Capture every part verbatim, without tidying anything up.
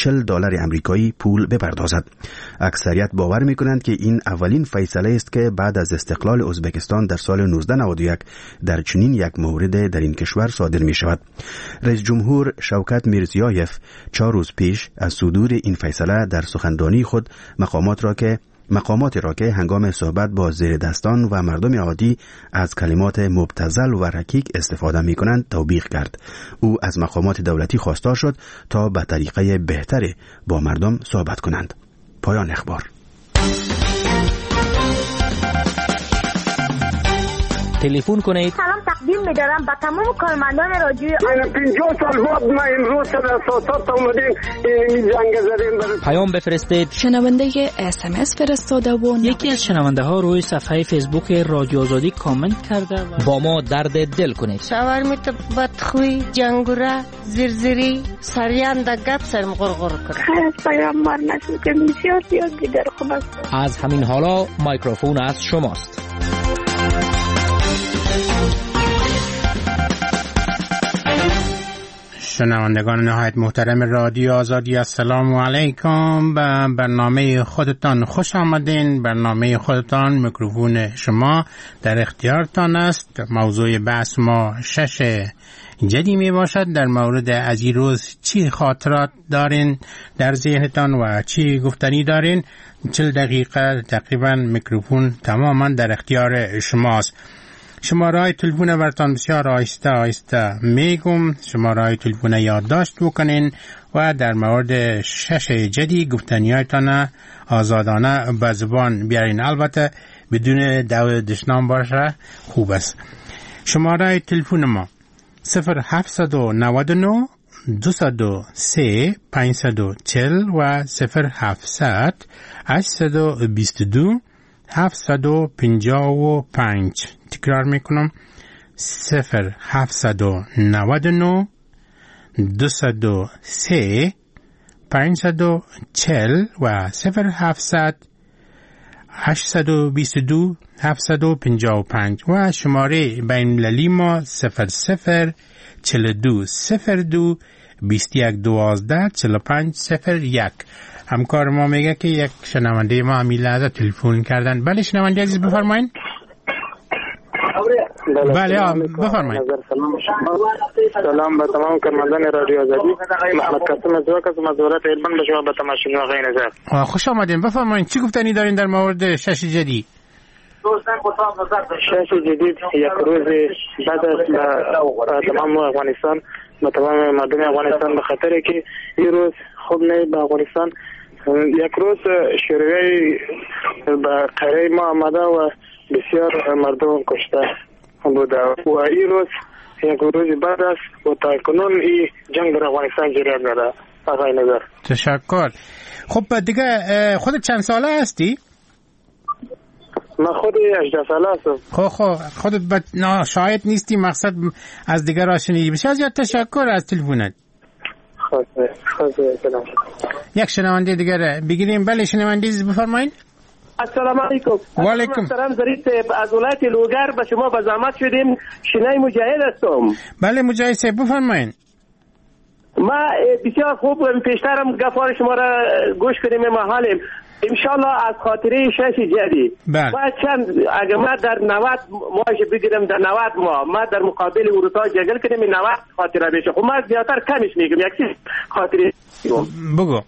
چهل دلار آمریکایی پول بپردازد. اکثریت باور می‌کنند که این اولین فیصله است که بعد از استقلال ازبکستان در سال نوزده نود و یک در چنین یک مورد در این کشور صادر می‌شود. رئیس جمهور شوکت میرزیایف چهار روز پیش از صدور این فیصله در سخنرانی خود مقامات را که مقامات را که هنگام صحبت با زیر دستان و مردم عادی از کلمات مبتذل و رکیک استفاده می کنند توبیخ کرد. او از مقامات دولتی خواستار شد تا به طریقه بهتری با مردم صحبت کنند. پایان اخبار. تلفن کنید. سلام تقدیم می‌دارم به تمام کارمندان رادیو. پنجاه سال بعد ما امروز در اساسات آمدیم این جنگ زدیم. پیام بفرستید. شنونده اس ام اس فرستاده و یکی از شنونده ها روی صفحه فیسبوک رادیو آزادی کامنت کرده و با ما درد دل کنید. شوهر می تو بدخوی جنگوره زیرزیری سریان د گپ سرم غرغر کرد. از پیام ما نشد که بسیار زیاد دیگر خوب است. از همین حالا میکروفون از شماست. شنوندگان نهایت محترم رادیو آزادی، السلام علیکم. به برنامه خودتان خوش آمدین. برنامه خودتان، میکروفون شما در اختیارتان است. موضوع بحث ما شش جدی می باشد. در مورد از این روز چی خاطرات دارین در ذهنتان و چی گفتنی دارین؟ چل دقیقه تقریبا میکروفون تماما در اختیار شماست. شماره تلفن برتان بسیار آهسته آهسته میگم. شماره تلفن یادداشت بکنین و در مورد شش جدی گفتنیایتان آزادانه به زبان بیارین، البته بدون دعوی دشنام باشه خوب است. شماره تلفن ما صفر هفت نه نه دو سه پنج چهل و صفر هفتصد هشتصد و بیست و دو هفتصد و پنجاه و پنج. تکرار میکنم صفر هفتصد و نود و نه دوصد و سه پنجصد و چهل و صفر هفتصد هشتصد و بیست و دو هفتصد و پنجاه و پنج و شماره بین المللی ما صفر صفر چهل و دو صفر دو بیست و یک دوازده چهل و پنج صفر یک. همکار ما میگه که یک شنونده ما همین لحظه تلفن کردن. بله شنونده عزیز بفرمایین. بله بفرمایید. سلام به تمام کارمندان رادیو آزادی. محمد قاسم از واکس مزورات علم به شما به تماشاگران آقای نظر. خوش آمدین. بفرمایید چی گفتنی دارین در مورد شش جدی؟ شش جدید یک روز بعد از تمام افغانستان، به تمام مردم افغانستان، به خاطر که این روز خوب نه به افغانستان. یک روز شوروی به قره ما آمده و بسیار مردم کشته بوده و این روز یک روز بعد است و تا کنون این جنگ در افغانستان جریان داره. آقای نظر تشکر. خب دیگه خودت چند ساله هستی؟ من خود هجده ساله هستم. خب خب خودت ب... نه شاید نیستی، مقصد از دیگر را شنیدی. بسیار زیاد تشکر از تلفنت. خب خب سلام. یک شنونده دیگر بگیریم. بله شنونده بفرمایید. السلام علیکم. و علیکم سلام. ظریف از ولایت لوگر به شما به زحمت شدیم. شنای مجاهد هستم. بله مجاهد صاحب بفرمایید. ما بسیار خوب پیشترم گفار شما را گوش کنیم محالیم. انشالله از خاطره شش جدی بله. ما چند اگر ما در نود ماهش بگیرم، در نود ماه ما در مقابل اروپا جگل کنیم نود خاطره بشه. خب ما زیادتر کمش میگم، یک چیز خاطره بگو.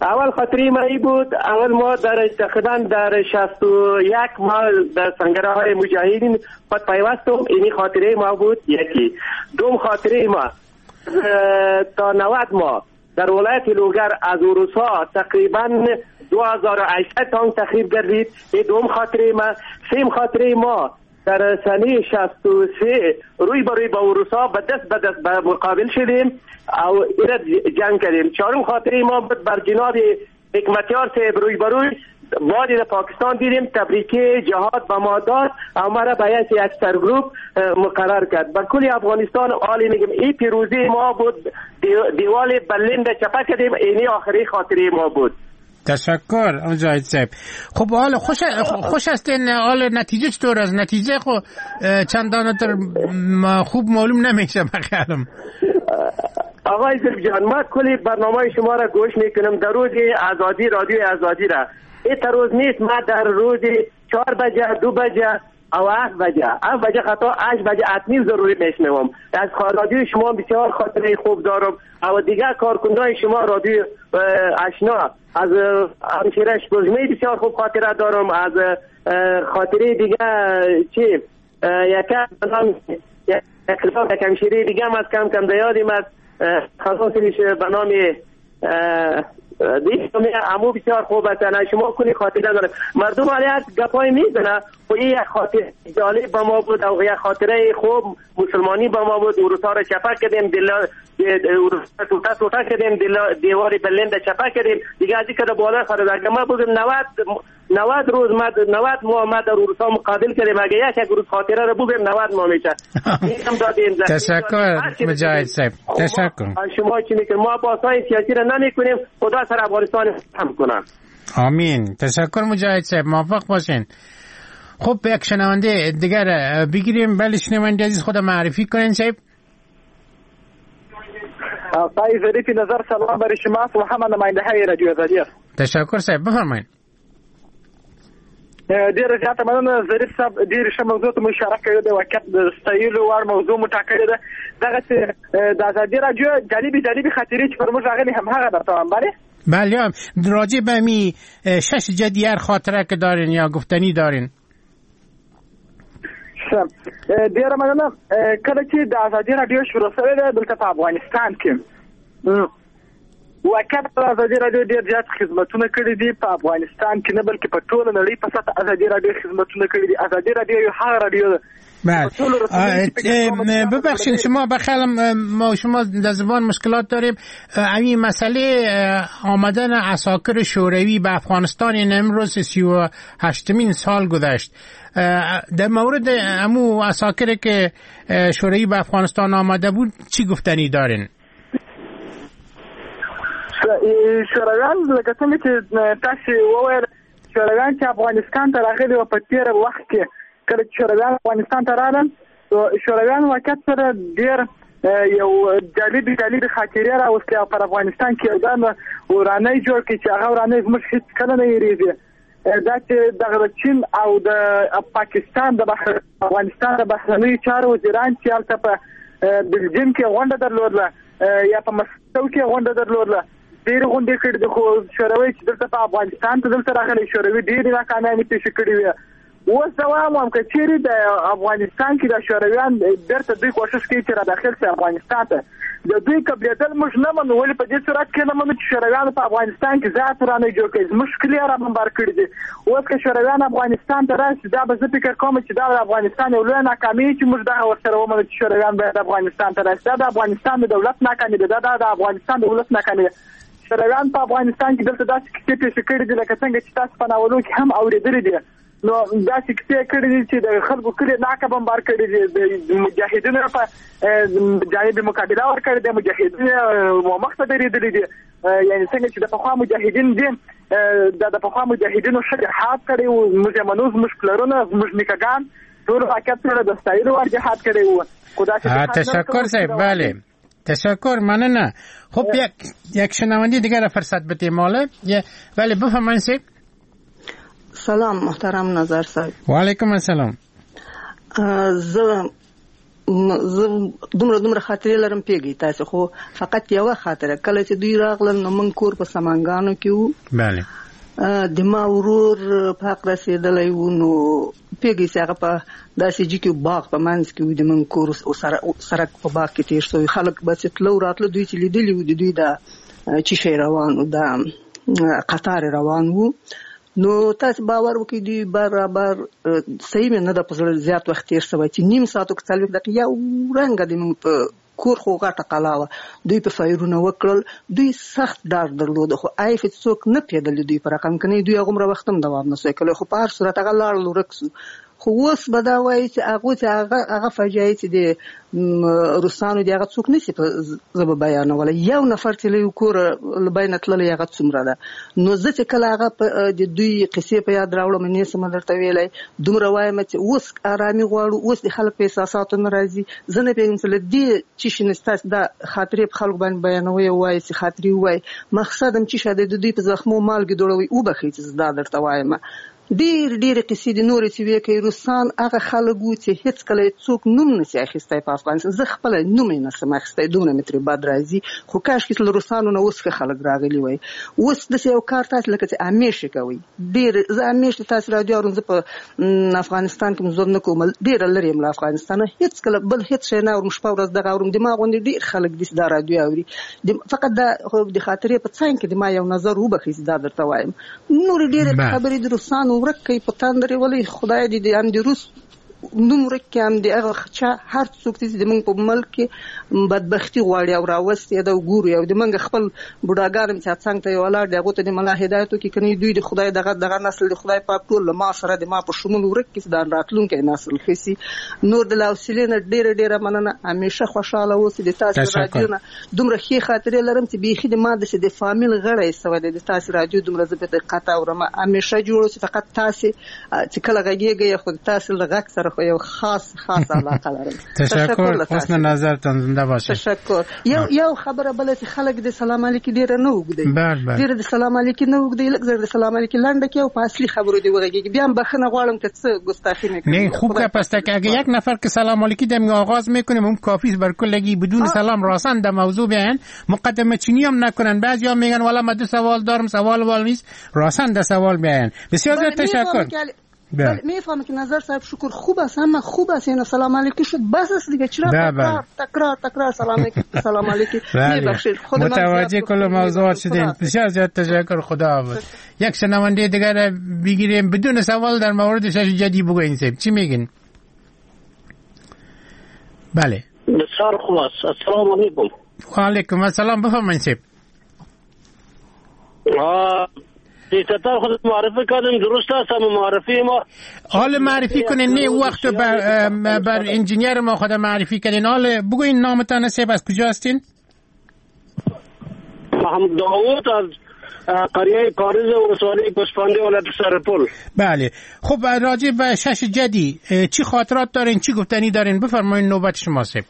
اول خاطری ما ای بود، اول ما در تقریبا در شصت و یک ما در سنگره های مجاهدین خود پیوستم. اینی خاطره ما بود یکی. دوم خاطره ما تا نود ماه در ولایت لوگر از اروسا تقریبا دو هزار و هشتصد تانک تخریب گردید. این دوم خاطره ما. سیم خاطره ما در سنه شصت و سه روی به روی با اروسا به دست به دست به مقابل شدیم او ایرد جنگ کردیم. چهارم خاطره ما بود بر جناب حکمتیار صاحب روی به روی بادی در پاکستان دیدیم، تبریک جهاد به ما داد و ما را به یک سرگروپ مقرر کرد. به کل افغانستان عالی میگم این پیروزی ما بود. دیوال برلین را چپه کردیم. اینی آخری خاطره ما بود. تشکر مجاهد صاحب. خب حالا خوش خوش هستین؟ حالا نتیجه چطور است؟ نتیجه خو چندان تر خوب معلوم نمیشه بخیالم. آقای ظریف جان، ما کلی برنامه شما را گوش میکنم در روز آزادی، رادیو آزادی را. این روز نیست، ما در روز چهار بجه، دو بجه او هفت بجه، هفت بجه خطا هشت بجه اتمی ضروری میشنوم. از رادیو شما بسیار خاطره خوب دارم. او دیگر کارکنان شما رادیو آشنا، از همشیرش بزمی بسیار خوب خاطره دارم. از خاطره دیگه چی یک نام یک همشیره دیگه هم از کم کم دیادیم از خصوصیش به نام دیگه عمو بسیار خوب است. شما کنی خاطره داره مردم علی از گپای میزنه و این یک خاطره جالب با ما بود و یک خاطره خوب مسلمانی با ما بود. اروپا را چپه کردیم، دل اروپا توتا توتا کردیم، دل دیوار برلین را چپه کردیم دیگه. از اینکه بالا خرید اگه ما بگیم نود نود روز ما نود ماه ما در اروپا مقابل کردیم، اگه یک یک روز خاطره را بگیم نود ماه میشه. تشکر مجاهد صاحب، تشکر. شما چی میکنید؟ ما باسای سیاسی را نمیکنیم، خدا سر افغانستان هم کنه. آمین. تشکر مجاهد صاحب، موفق باشین. خب یک شنونده دیگر بگیریم. بله شنونده عزیز، خود معرفی کنین صاحب. آقای ظریف نظر، سلام برای شما و همه نماینده های رادیو آزادی. تشکر صاحب، بفرمایید. ډیره زیاته مننه ظریف صاحب، ډېرې ښه موضوع ته مو اشاره کړې ده، واقعیت د ستایلو وړ موضوع مو ټاکلې ده. دغسې د ازادي راډیو جالبې جالبې خاطرې چې پر موږ راغلي هم هغه درته وایم. بله بله، راجع به می شش جدیر خاطره که دارین یا گفتنی دارین. ډیره مننه. کله چې د ازادي راډیو شروع شوې ده دلته په افغانستان کې، واقعا ازادي راډیو ډېر زیات خدمتونه کړي دي په افغانستان کې نه بلکې په ټوله نړۍ په سطح ازادي راډیو خدمتونه کړي دي. ازادي راډیو یو هغه راډیو ده. بله ببخشید شما بخیالم ما شما در زبان مشکلات داریم. این مسئله آمدن عساکر شوروی به افغانستان این امروز سی و هشتمین سال گذشت. در مورد امو عساکر که شوروی به افغانستان آمده بود چی گفتنی دارین؟ شورویان لکه څنګه چې تاسې وویل، شورویان چې افغانستان ته راغلي وو په تېر وخت کې، کله چې شورویان افغانستان ته راغلل شورویان واقعیت سره ډېر یو جالبې جالبې خاطرې راوستې او پر افغانستان کې یو دم ورانی جوړ کړي چې هغه ورانی زموږ هېڅکله نه هېرېږي. دا چې دغه د چین او د پاکستان د بحر افغانستان د بهرنیو چارو وزیران چې هلته په بلجیم کې غونډه درلودله یا په مسکو کې غونډه درلودله، ډېرې غونډې کړې دي. خو شوروي چې دلته په افغانستان ته دلته راغلی، شوروي ډېرې ناکامیانې پېښې کړې وې. اوس زه وایم هم که چېرې د افغانستان کې د شورویان بېرته دوی کوښښ کوي چې را داخل شي افغانستان ته، د دوی قبلېدل موږ نه منو. ولې په دې صورت کې نه منو چې شورویانو په افغانستان کې زیات ورانی جوړ کړي، زموږ کلي یې را بمبار کړي دي. اوس که شورویان افغانستان ته راشي، دا به زه فکر کوم چې دا د افغانستان یو لویه ناکامي چې موږ دغه ورسره ومنو چې شورویان باید افغانستان ته راشي. دا د افغانستان د دولت ناکامي ده، دا د افغانستان د ولس ناکامي ده. شورویان په افغانستان کې دلته داسې کیسې پېښې کړې دي لکه څنګه چې تاسو په ناولو کې هم اورېدلي دي. نو داسې کیسې کړې دي چې د خلکو کلي ناکه بمبار کړي دي، د مجاهدینو په جانب مقابله ورکړې ده، مجاهدین مخته درېدلي دي. یعنې څنګه چې د پخوا مجاهدین دي، دا د پخوا مجاهدینو ښه جهاد کړی و. موږ یې منو، زموږ پلرونه، زموږ نیکهګان ټول واقعیت سره د ستایلو وړ جهاد کړی و. خو داسې تشکر صاحب. بله تشکر، مننه. خب یک یک شنونده دیگر فرصت بدیم ماله. بله بفرمایید صاحب. سلام محترم نظر صاحب. وعلیکم السلام. زه زه دومره دومره خاطرې لرم پیږي تاسو، خو فقط یوه خاطره. کله چې دوی راغلل نو موږ کور په سمنګانو کې وو. بله. د ما ورور په حق رسېدلی و، نو پیږي چې هغه په داسې جي کې باغ په منځ کې و، د موږ کور او سرک په باغ کې تېر شوی. خلک به چې تلو راتلو، دوی چې لیدلي وو د دوی دا چې شی روان و، دا قطار روان و. نو تاسو باور وکړئ دوی برابر صحیح مې نه ده په زړه زیات وخت تېر شوی چې نیم ساعت او څلوېښت دقیقې یو رنګه د موږ په کور خو غټه قلا وه، دوی په فایرونه وکړل. دوی سخت ډار درلود، خو ایف څوک نه پېدل دوی په رقم کني. دوی هغومره وخت هم دوام نه سوی کړی، خو په هر صورت هغه لاړل ورک سو. خو اوس به دا وایي چې هغه چې هغه هغه فاجعه چې د روسانو دی هغه څوک نشي په زبه بیانولی. یو نفر چې له یو کور له بینه تللی هغه څومره ده. نو زه چې کله هغه د دوی قصې په یاد راوړم نه سم درته ویلی، دومره وایم چې اوس آرامي غواړو، اوس د خلک په احساساتو نه راځي. زه نه پوهېږم چې له دې چې شي نه ستاسو دا خاطرې په خلکو باندې بیانوي او وایي چې خاطرې ووایي، مقصد هم چې شه د دوی په زخمو مالګې دوړوي. وبخښئ چې زه دا درته وایم. ډېر ډېرې قصې دي نورې چې ویې کوي. روسان هغه خلک وو چې هېڅکله یې څوک نوم نه سي اخیستی په افغانستان. زه خپله نوم یې نه سم اخیستی، دومره مې ترې بد راځي. خو کاشکې چې له روسانو نه اوس ښه خلک راغلي وای. اوس داسې یو کار تاسې لکه چې همېش یې کوئ. ډېر زه همېش د تاسې راډیو اورم. زه په افغانستان کې ژوند نه کوم، ډېره لرې یم له افغانستانه. هېڅکله بل هېڅ شی نه اورم، شپه ورځ دغه اورم. د ما غوندې ډېر خلک دي چې دا راډیو اوري. فقط دا د خاطرې په څنګ کې د ما یو نظر وبخښئ چې دا درته وایم. نورې ډېرې خبرې د روسانو ورک کوي په تندر ولې خدای دې د هم د روس نوم ورک کړي، هم د هغه چا هر څوک چې د موږ په ملک کې بدبختي غواړي او راوستي دا وګوري. او د موږ خپل بوډاګان هم چې څنګ ته یې ولاړ دي هغو ته د ملا هدایت وکړي، که نه دوی د خدای دغه دغه نسل د خدای پاک ټول له ما سره د ما په شمول ورک کړي چې دا راتلونکی نسل ښه سي. نور د حوصلې نه ډېره ډېره مننه. همیشه خوشحاله اوسئ. د تاسو راډیو نه دومره ښې خاطرې لرم چې بیخي د ما داسې د فامیل غړی سوی دی. د تاسو راډیو دومره زه په دقت اورم. همیشه جوړ اوسئ. فقط تاسې چې کله غږېږئ خو د تاسو له غږ سره خو یو خاص خاص علاقه لرم. تشکر، حسن نظرتان، زنده باشید. تشکر. یو یو خبره بله چې خلک د سلام علیکي ډېره نه اوږدوي، ډېره د سلام علیکي نه اوږدوي، لږ زر د سلام علیکي لنډه کړي او په اصلي خبرو دې وغږېږي. بیا هم بخښنه غواړم که څه گستاخی میکنم. نه خوب گپ است که اگه یک نفر که سلام علیکی دم آغاز میکنیم اون کافی است بر کلگی بدون سلام راسن در موضوع بیان، مقدمه چینی هم نکنن. بعضیا میگن والا ما دو سوال دارم، سوال وال نیست، راسن در سوال بیان. بسیار زیاد تشکر. بله میفهمم که نظر صاحب شکر خوب است، همه خوب است، یعنی سلام علیکی شد بس است دیگه. چرا تکرار تکرار تکرار سلام علیکی سلام علیکی؟ میبخشید خود من متوجه کل موضوعات شدیم. بسیار زیاد تشکر، خدا حافظ. یک شنونده دیگر بگیریم بدون سوال در مورد شش جدی بگوین. صاحب چی میگین؟ بله بسیار خوب است. السلام علیکم. و علیکم السلام. بفرمایید صاحب. دیکتاتور خود معرفی کردیم، درست است. اما معرفی ما حال معرفی کنین نه وقت بر, بر انجینیر ما خود معرفی کردین. حال بگوین نامتان صاحب، از کجا هستین؟ محمد داوود از قریه کاریز ولسوالی گوسفندی ولایت سرپل. بله خب راجع به شش جدی چی خاطرات دارین، چی گفتنی دارین؟ بفرمایین، نوبت شما صاحب.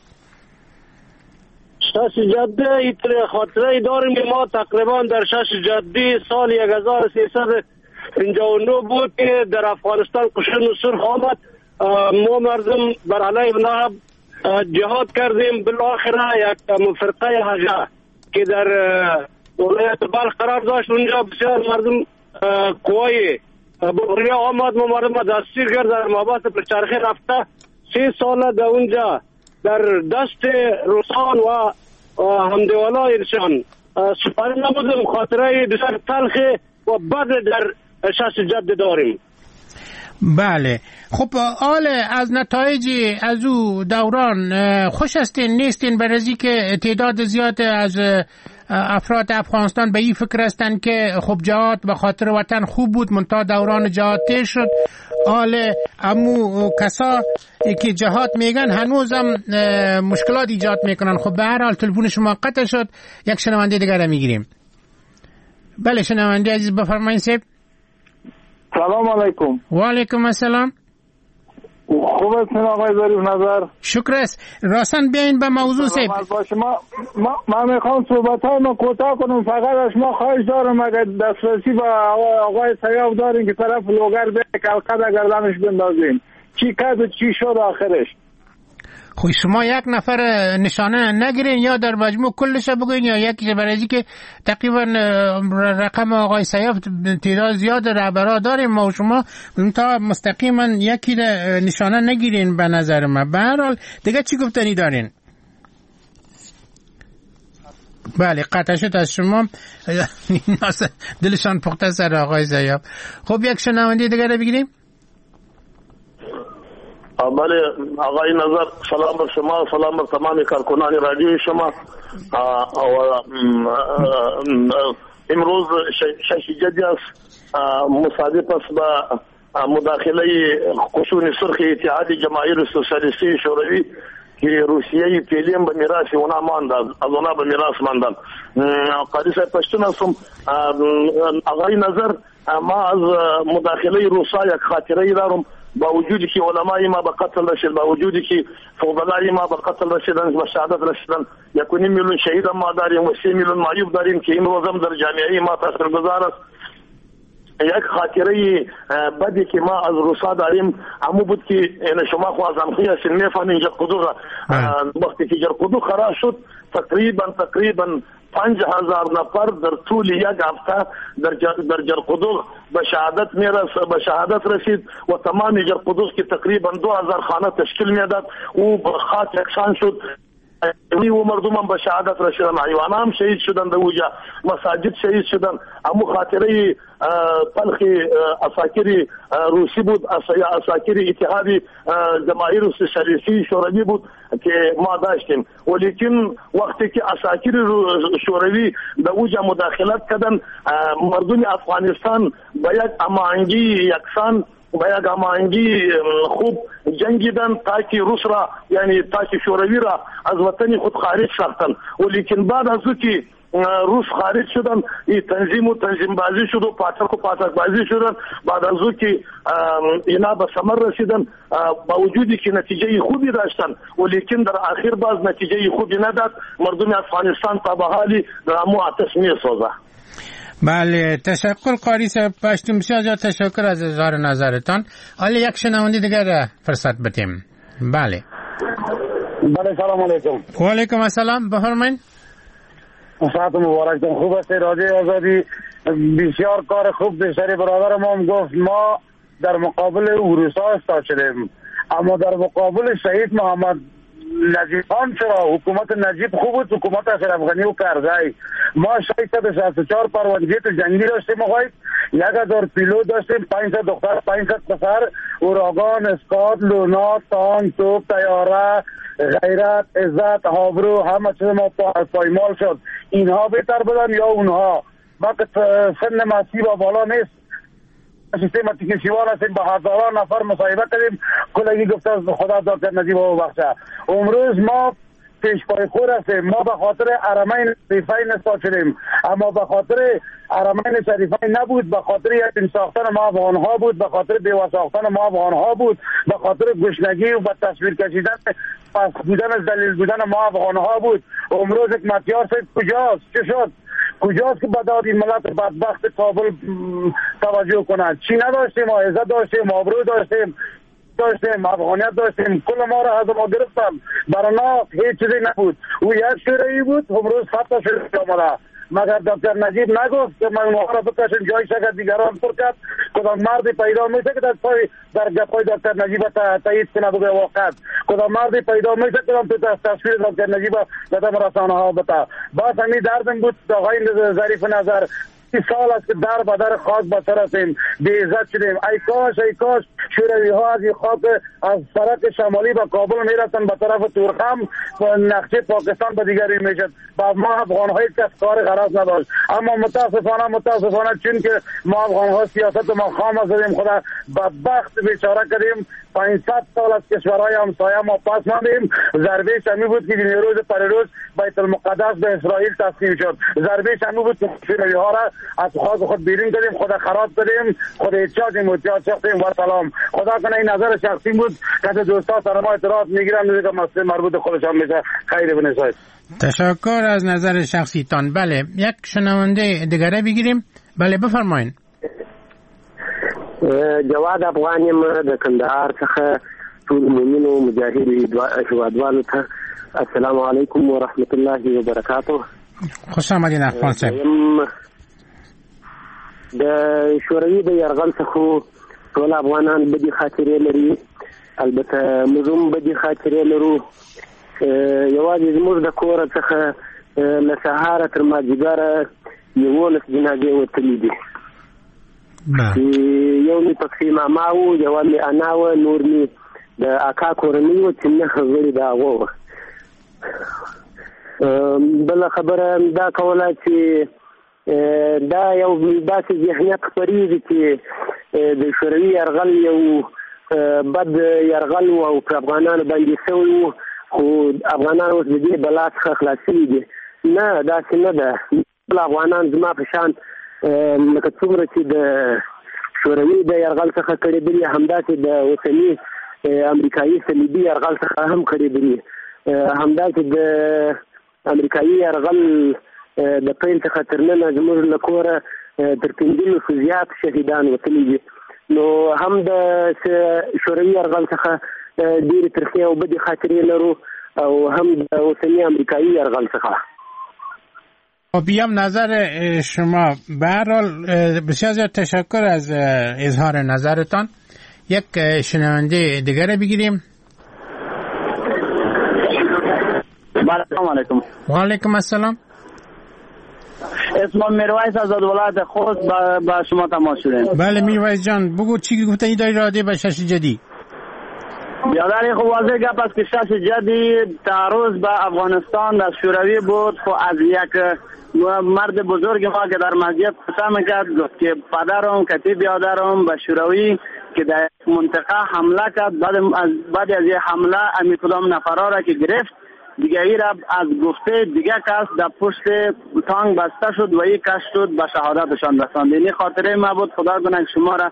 شش جدی خاطره داریم که ما تقریبا در شش جدی سال هزار و سیصد و پنجاه و نه بود که در افغانستان قشون سرخ آمد. ما مردم بر علیه نهب جهاد کردیم. بالاخره یک فرقه هجه که در ولایت بلخ قرار داشت، اونجا بسیار مردم قوای بغریه آمد. ما مردم دستگیر کرد، در محبس پرچرخه رفته سه سال در اونجا در دست روسان و همدیوالای انسان سپاری نبودم. خاطره بسیار تلخ و بد در شش جد داریم. بله خب آل از نتایج از او دوران خوش هستین نیستین؟ برای که تعداد زیاد از افراد افغانستان به این فکر هستند که خب جهاد به خاطر وطن خوب بود، منتها دوران جهاد تیر شد. آل امو کسا که جهاد میگن هنوزم مشکلات ایجاد میکنن. خب به هر حال تلفن شما قطع شد، یک شنونده دیگر را میگیریم. بله شنونده عزیز بفرمایید صاحب. سلام علیکم. و علیکم السلام. خوب هستین آقای ظریف نظر؟ شکر است. راسن بیاین به موضوع صاحب. باشه ما ما میخوام صحبت های ما کوتاه کنم. فقط از شما خواهش دارم اگر دسترسی به آقای سیاف دارین که طرف لوگر به کلقه گردنش بندازین، چی کرد و چی شد آخرش. خب شما یک نفر نشانه نگیرین یا در مجموع کلش بگوین یا یکیش، برای که تقریبا رقم آقای سیاف تعداد زیاد رهبرا داریم ما و شما تا مستقیما یکی نشانه نگیرین به نظر من. به هر حال دیگه چی گفتنی دارین؟ بله قطع شد از شما. دلشان پخته سر آقای سیاف. خب یک شنونده دیگه رو بگیریم. بله آقای نظر، سلام بر شما، سلام بر تمام کارکنان رادیوی شما. امروز شش جدی است، مصادف است با مداخله قشون سرخ اتحاد جماهیر سوسیالیستی شوروی که روسیه فعلی به میراث اونا ماند، از اونا به میراث ماندن. قاری صاحب پشتون هستم. آقای نظر، ما از مداخله روسا یک خاطره دارم. با وجودی که علمای ما به قتل رسید، با وجودی که فضلای ما به قتل رسیدن، به شهادت رسیدن، یک و نیم میلیون شهید ما داریم و سه میلیون معیوب داریم که امروز هم در جامعه ما تاثیرگذار است. یک خاطره بدی که ما از روسا داریم همو بود که شما خو از امخی هستین میفهمین جرقدوغ، وقتی که جرقدوغ خراب شد تقریبا تقریبا پنج هزار نفر در طول یک هفته در در جرقدوغ به شهادت میرس به شهادت رسید و تمام جرقدوغ که تقریبا دو هزار خانه تشکیل میداد او به خاک یکسان شد. و مردم هم به شهادت رسیدن، حیوان هم شهید شدن، در اوجا مساجد شهید شدن. امو خاطره تلخ عساکر روسی بود، عساکر اتحاد جماهیر سوسیالیستی شوروی بود که ما داشتیم. ولیکن وقتی که عساکر شوروی در اوجا مداخلت کردن، مردم افغانستان به یک هماهنگی یکسان به یک هماهنگی خوب جنگیدن تا که روس را، یعنی تا که شوروی را از وطن خود خارج ساختن. ولیکن بعد از که روس خارج شدن، این تنظیم و تنظیم بازی شد و پاتک و پاتک بازی شدن. بعد از او که اینا به ثمر رسیدن، با وجودی که نتیجه خوبی داشتن، ولیکن در آخر باز نتیجه خوبی نداد. مردم افغانستان تا به حالی در امو آتش می‌سوزه. بله، تشکر قاری صاحب پشتون، بسیار زیاد تشکر از اظهار نظرتان. حالا یک شنونده دیگر فرصت بدیم. بله. بله، سلام علیکم. و علیکم السلام، بفرمایید. ساعت مبارک تون. خوب است رادیو آزادی، بسیار کار خوب. بسیاری برادر ما هم گفت ما در مقابل روسا استاد شدیم، اما در مقابل شهید محمد نجیب خان چرا؟ حکومت نجیب خوب بود، حکومت اشرف غنی و کرزی. ما ششصد و شصت و چهار پروانجیت جنگی داشتیم آقای، یک هزار پیلوت داشتیم، پانصد دختر، پانصد پسر، اوراگان، اسکات، لونا، تانک، توپ، طیاره، غیرت، عزت، آبرو، همه چیز ما پایمال شد. اینها بهتر بودن یا اونها؟ ما که سن مسیح با بالا نیست، سیستم تکنسیوان هستیم، با هزاران نفر مصاحبه کردیم، کلگی گفته خدا دکتر نجیب او بخشه. امروز ما پیش پای خور هستیم. ما به خاطر حرمین شریفین استاد شدیم، اما به خاطر حرمین شریفین نبود، به خاطر یتیم ساختن ما افغانها بود، به خاطر بیوه ساختن ما افغانها بود، به خاطر گشنگی و به تصویر کشیدن پس بودن ذلیل بودن ما افغانها بود. امروز حکمتیار صاحب کجاست؟ چه شد؟ کجاست که به داد این ملت بدبخت کابل توجه کنند؟ چی نداشتیم؟ ما عزت داشتیم، آبرو داشتیم داشتیم افغانیت داشتیم، کل ما را از ما گرفتن، برای ما هیچ چیزی نبود. او یک شوروی بود، امروز صد تا شوروی آمده. مگر دکتر نجیب نگفت که من اونها را بکشم جای شکر دیگران پر کرد؟ کدام مردی پیدا میشه که در پای در گپای دکتر نجیب تایید کنه بگه واقعا؟ کدام مردی پیدا میشه کدام تو تصویر دکتر نجیب در رسانه ها بتا؟ باز همین دردم بود آقای ظریف نظر. سال است که در به در خاک به سر هستیم، بی عزت شدیم. ای کاش ای کاش شوروی ها از این خاک از سرک شمالی به کابل میرفتن به طرف تورخم، نقشه پاکستان به دیگری میشد. با ما افغان های کس کار غرض نداشت. اما متاسفانه متاسفانه چون که ما افغان ها سیاست ما خام زدیم، خدا بدبخت بیچاره کردیم. پانصد سال از کشورهای همسایه ما پس ماندیم. ضربه شمی بود که نیروز پریروز بیت المقدس به اسرائیل تسلیم شد. ضربه شمی بود که شوروی ها را از خاک خود بیرون کردیم، خدا خراب کردیم، خود احتیاجیم احتیاج ساختیم و سلام. خدا کنه این نظر شخصی بود که دوستا سر ما اعتراض میگیرن دیگه مسئله مربوط خودشان میشه. خیر بنساید. تشکر از نظر شخصیتان. بله، یک شنونده دیگره بگیریم. بله بفرمایید. جواد افغان یم د کندهار څخه. ټول مؤمنو مجاهدو هیوادوالو ته السلام علیکم ورحمت الله وبرکاته. خوش آمدین افغان صاحب. د شوروي د یرغل څخه ټول افغانان بدې خاطرې لري، البته موږ هم بدې خاطرې لرو. یوازې زموږ د کوره څخه له سهاره تر مازدیګره یوولس جنازې وتلې دي. یو مې پکښې ماما و، یوه مې انا وه، نور مې د اکا کورنۍ وه چې نهه غړي د هغو وه. بله خبره دا کوله چې دا یو داسې ذهنیت خپرېږي چې د شوروي یرغل یو بد یرغل و او پر افغانانو باندې سوی و، خو افغانان اوس د دې بلا څخه خلاص شوي دي. نه، داسې نه ده. ټول افغانان زما په شان لکه څومره چې د شوروي د یرغل څخه کړېدلي، همداسې د اوسني امریکایي صلیبي یرغل څخه هم کړېدلي. همداسې د امریکایي یرغل د پیل څخه تر ننه زموږ له کوره تر پنځلسو زیات شهیدان وتلي دي. نو هم د شوروي یرغل څخه ډېرې ترخې او بدې خاطرې لرو او هم د اوسني امریکایي یرغل څخه. بیام نظر شما. به هر حال بسیار زیاد تشکر از اظهار نظرتان. یک شنونده دیگر بگیریم. سلام علیکم. و علیکم السلام. اسمم میرویس از ولایت خوست با, با شما تماس شدیم. بله میرویس جان، بگو چی گفتنی داری راجع به شش جدی؟ بیادر خب واضح گپ است که شش جدی تعرض به افغانستان از شوروی بود. خب از یک مرد بزرگ ما که در مسجد قسم کرد گفت که پدرم کتی بیادرم به شوروی که در منطقه حمله کرد، بعد از بعد از حمله امی کدام نفرا را که گرفت دیگه ای را از گفته دیگه کس در پشت تانگ بسته شد و ای کش شد به شهادتشان رساند. این خاطره ما بود. خدا کنه شما را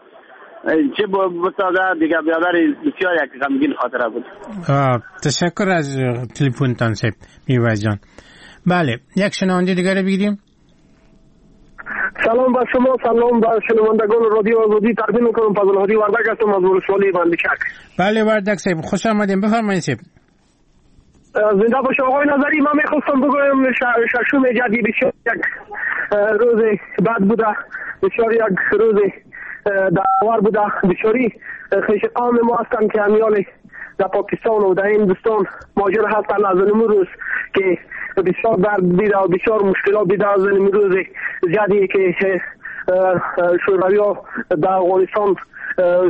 چه بسازه. دیگه بیادر بسیار یک غمگین خاطره بود. تشکر از تلفنتان صاحب میرویس جان. بله یک شنونده دیگه را بگیریم. سلام بر شما، سلام بر شنوندگان رادیو آزادی تقدیم میکنم. فضل هادی وردک هستم از ولسوالی بندیچک. بله وردک صاحب خوش آمدین، بفرمایید صاحب. زنده باشه آقای نظری. من میخواستم بگویم ششم جدی بسیار یک روز بد بوده، بسیار یک روز داور بوده. بسیاری خویش قوم ما هستند که امیال در پاکستان و در هندوستان مهاجر هستند از این روز که بسیار درد دیده و بسیار مشکلات دیده از این روز زیادی که شوروی ها در افغانستان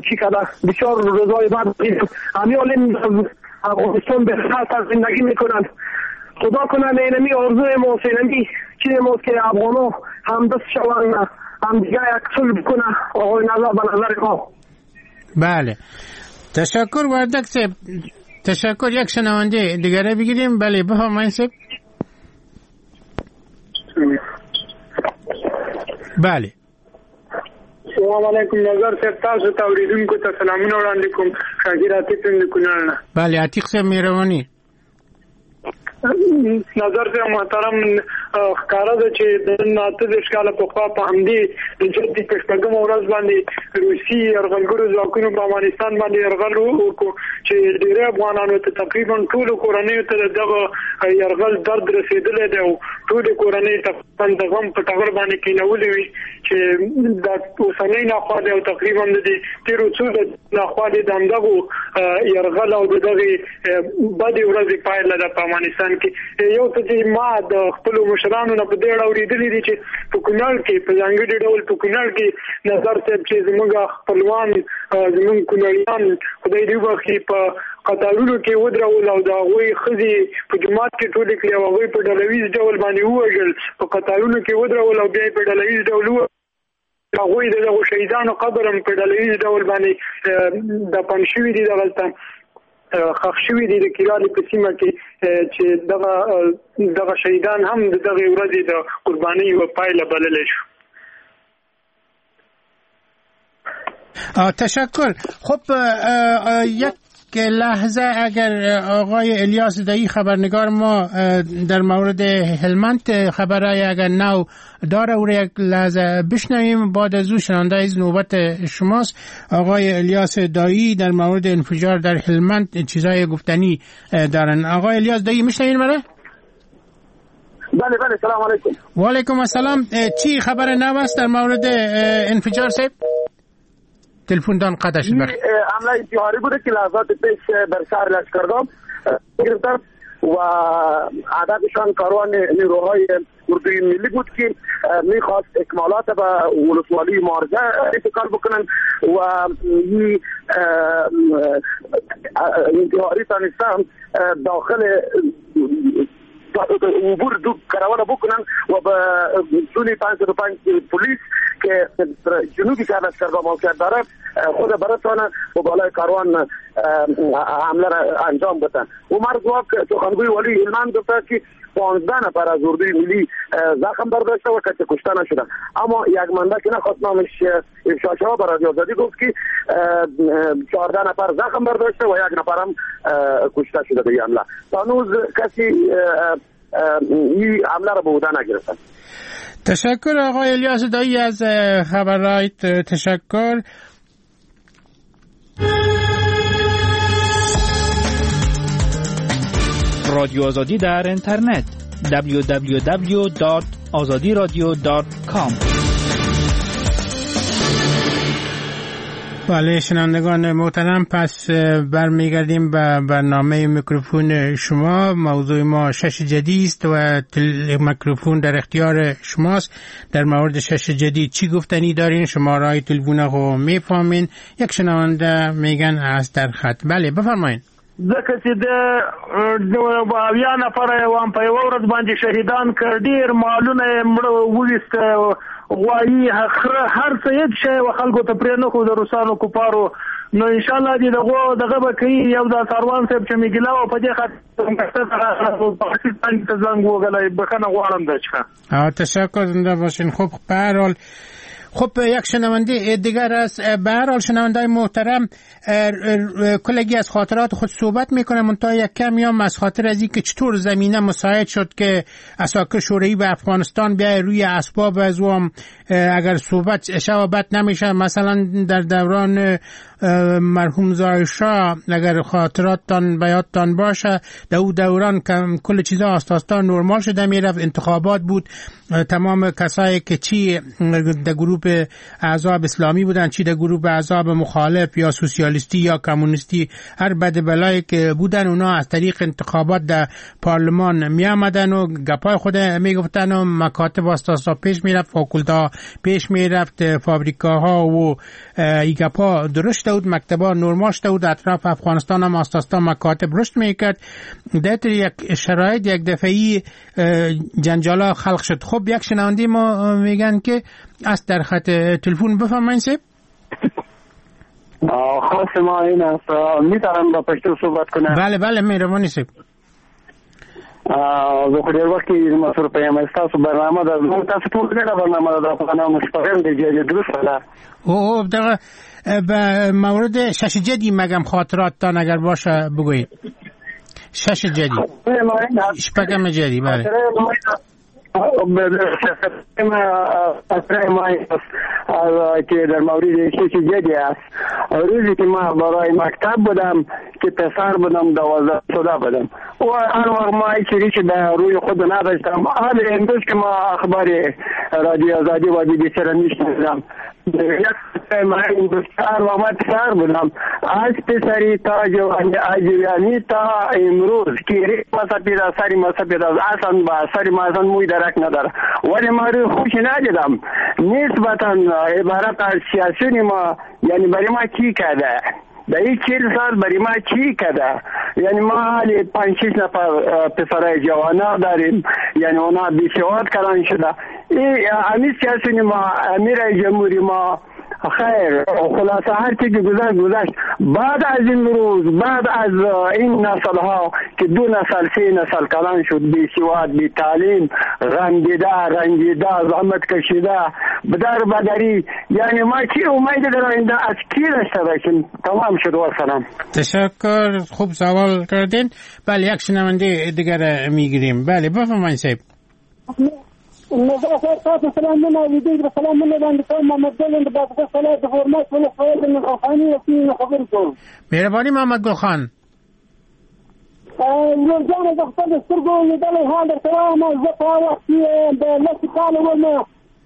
چی کرده. بسیار روزهای بد امیال افغانستان به خاطر زندگی میکنند. خدا کنه اینمی آرزوی ماست، اینمی چیز ماست که افغان ها همدست شوند، همدیگه یک صلح بکنه. آقای نظر به نظر ما. بله تشکر وردک صاحب، تشکر. یک شنونده دیگره بگیریم. بله بفرمایید صاحب. بله السلام علیکم نظر صاحب، تاسو ته اوریدونکو ته سلامونه وړاندې کوم. شاکر عتیق یم د کونړ نه. بله عتیق صاحب مهرباني. نظر صاحب محترم، ښکاره ده چې نن اته دېرش کاله پخوا په همدې د جدي په شپږمه ورځ باندې روسي یرغلګرو ځواکونو په افغانستان باندې یرغل وکړو چې ډېری افغانانو ته تقریبا ټولو کورنیو ته دغه یرغل درد رسېدلی دی او ټولې کورنۍ تقریبا د غم په ټغر باندې کېنولې وي چې دا اوسنۍ ناخوالې او تقریبا د دې تېرو څو ناخوالې د همدغو یرغل او د دغې بدې ورځې پایله ده په افغانستان کې. یو څه چې ما د خپلو مشرانو نه په دې اړه اورېدلي دي چې په کونړ کې په ځانګړي ډول په کونړ کې نظر صاحب چې زموږ خپلوان زموږ کونړیان خدای دې وبخښي په قطارونو کې ودرول او د هغوی ښځې په جومات کې ټولې کړې او هغوی په ډله ییز ډول باندې ووژل، په قطارونو کې ودرول او بیا یې په ډله ییز ډول ووژل. هغوی د دغو شهیدانو قبر هم په ډله ییز ډول باندې دفن شوي دي، دغلته ښخ شوي دي د کیرالي په سیمه کې چې دغه دغه شهیدان هم د دغې ورځې د قربانۍ یوه پایله بللی شو. تشکر. خب یک لحظه اگر آقای الیاس دایی خبرنگار ما در مورد هلمند خبرای اگر نو داره او را یک لحظه بشنویم، بعد از او شنونده از نوبت شماست. آقای الیاس دایی در مورد انفجار در هلمند چیزای گفتنی دارن. آقای الیاس دایی میشنوین مرا؟ بله بله سلام علیکم. و علیکم السلام. چی خبر نو است در مورد انفجار صاحب؟ تلفن دان قطع شد. حمله انتحاری بوده که لحظات پیش بر شهر لشکرگاه گرفتن و هدفشان کاروان نیروهای اردوی ملی بود که میخواست اکمالات به ولسوالی مارزه انتقال بکنن و این انتحاری تانستن داخل عبور دو کاروان بکنن و به سونی پانصد و پنج پلیس که جنوبی شهر لشکرگاه موقعیت داره خود برسانه و بالای کاروان حمله را انجام بدن. عمر ځواک سخنگوی والی هلمند گفته که پانزده نفر از اردوی ملی زخم برداشته و کسی کشته نشده، اما یک منبع که نخواست نامش افشا شود برای رادیو آزادی گفت که چهارده نفر زخم برداشته و یک نفر هم کشته شده در حمله. تا هنوز کسی این حمله را به عهده نگرفته. تشکر آقای الیاس دایی از خبرایت، تشکر. رادیو آزادی در اینترنت دبلیو دبلیو دبلیو دات آزادی رادیو دات کام. بله شنوندگان محترم، پس برمیگردیم به برنامه میکروفون شما. موضوع ما شش جدی است و میکروفون در اختیار شماست. در مورد شش جدی چی گفتنی دارین؟ شما رای تلفن رو میفهمین. یک شنونده میگن از در خط. بله بفرمایین. ځکه چې د اویا نفره یې وام په یوه ورځ باندې شهیدان کړ، ډېر مالونه یې مړه وویسته، غوایي خره هر څه هېڅ شی و خلکو ته پرې نه ښود روسانو کفارو. نو انشاءالله دې دغو دغه به کوي. یو دا څاروان صاحب چې مې ګیله وه په دې خاطر ته زنګ وګلی، بښنه غواړم د څخه. تشکر، زنده باشین. خب به هر حال خب یک شنونده دیگر است. به هر حال شنونده محترم کلگی از خاطرات خود صحبت میکنم، منتها یک کمی هم از خاطر از اینکه چطور زمینه مساعد شد که عساکر شوروی به افغانستان بیای روی اسباب از او هم اگر صحبت شوابت نمیشه. مثلا در دوران مرحوم ظاهرشاه اگر خاطراتتان به یادتان باشه، در او دوران کل چیزا آستا نرمال شده میرفت، انتخابات بود، تمام کسایی که چی در گروه احزاب اسلامی بودن، چی در گروه احزاب مخالف یا سوسیالیستی یا کمونیستی، هر بد بلایی که بودن اونا از طریق انتخابات در پارلمان می آمدن و گپای خود می گفتن و مکاتب آستا پیش میرفت، فاکولتا پیش میرفت، فابریکاها و ای گپا درشت بود، مکتبا نرمال شده بود، اطراف افغانستان هم آستا مکاتب رشد میکرد. در یک شرایط یک دفعی جنجالا خلق شد. خب یک شنونده ما میگن که از در خط تلفن. بفرمایید صاحب. خواست ما این است، میتونم با پشتو صحبت کنم؟ بله بله مهربانی صاحب. زه خو ډېر وخت کېږي مصروف یم. ستاسو برنامه ده، زموږ تاسو ټول ګډه برنامه ده، د افغانانو شپږم دی چې درست ده. او دغه به مورد شش جدی مگم خاطراتتان اگر باشه بگویید. شش جدی شپږم جدی. بله که در مورد شش جدی است، روزی که ما برای مکتب بودم که پسر بودم دوازده شده بودم و هر وقت ما هیچ ریش در روی خود نداشتم. حال امروز که ما اخبار رادیو آزادی و بی بی سی را میشنیدم، یک هر وقت ما پسر بودم از پسری تا جوانی تا امروز که ریش ما سپید است، سری ما سپید است، اصلا با سری ما اصلا موی درک نداره، ولی ما روی خوش ندیدم. نسبتا عبارت از سیاسیون ما، یعنی برای ما چی کرده در این چهل سال، برای ما چی کرده؟ یعنی ما حالی پنج شش نفر پسرای جوانا داریم، یعنی اونا بیسواد کردن شده. این امیر سیاسیون ما، امیر جمهوری ما، خیر خلاصه هر چی که گذشت گذشت. بعد از این روز، بعد از این نسل ها که دو نسل سه نسل کلان شد، بی سواد، بی تعلیم، غمگیده، رنجیده، زحمت کشیده، بدر بدری، یعنی ما چی امید در آینده از کی داشته باشیم؟ تمام شد و سلام. تشکر، خوب سوال کردین. بله یک شنونده دیگر میگیریم. بله بفرمایید صاحب. نظر خیر تاسو سلامونه ویدیو د سلامونه باندې کوم. محمد ګل د بادغیس ولایت د فورماس ولسوالۍ د خاني وکیل خبرې کوم. مهرباني محمد ګل خان. ورور جانه زه خپل سترګو لیدلی حال درته وایم. زه په هغه وخت کې د لس کاله وم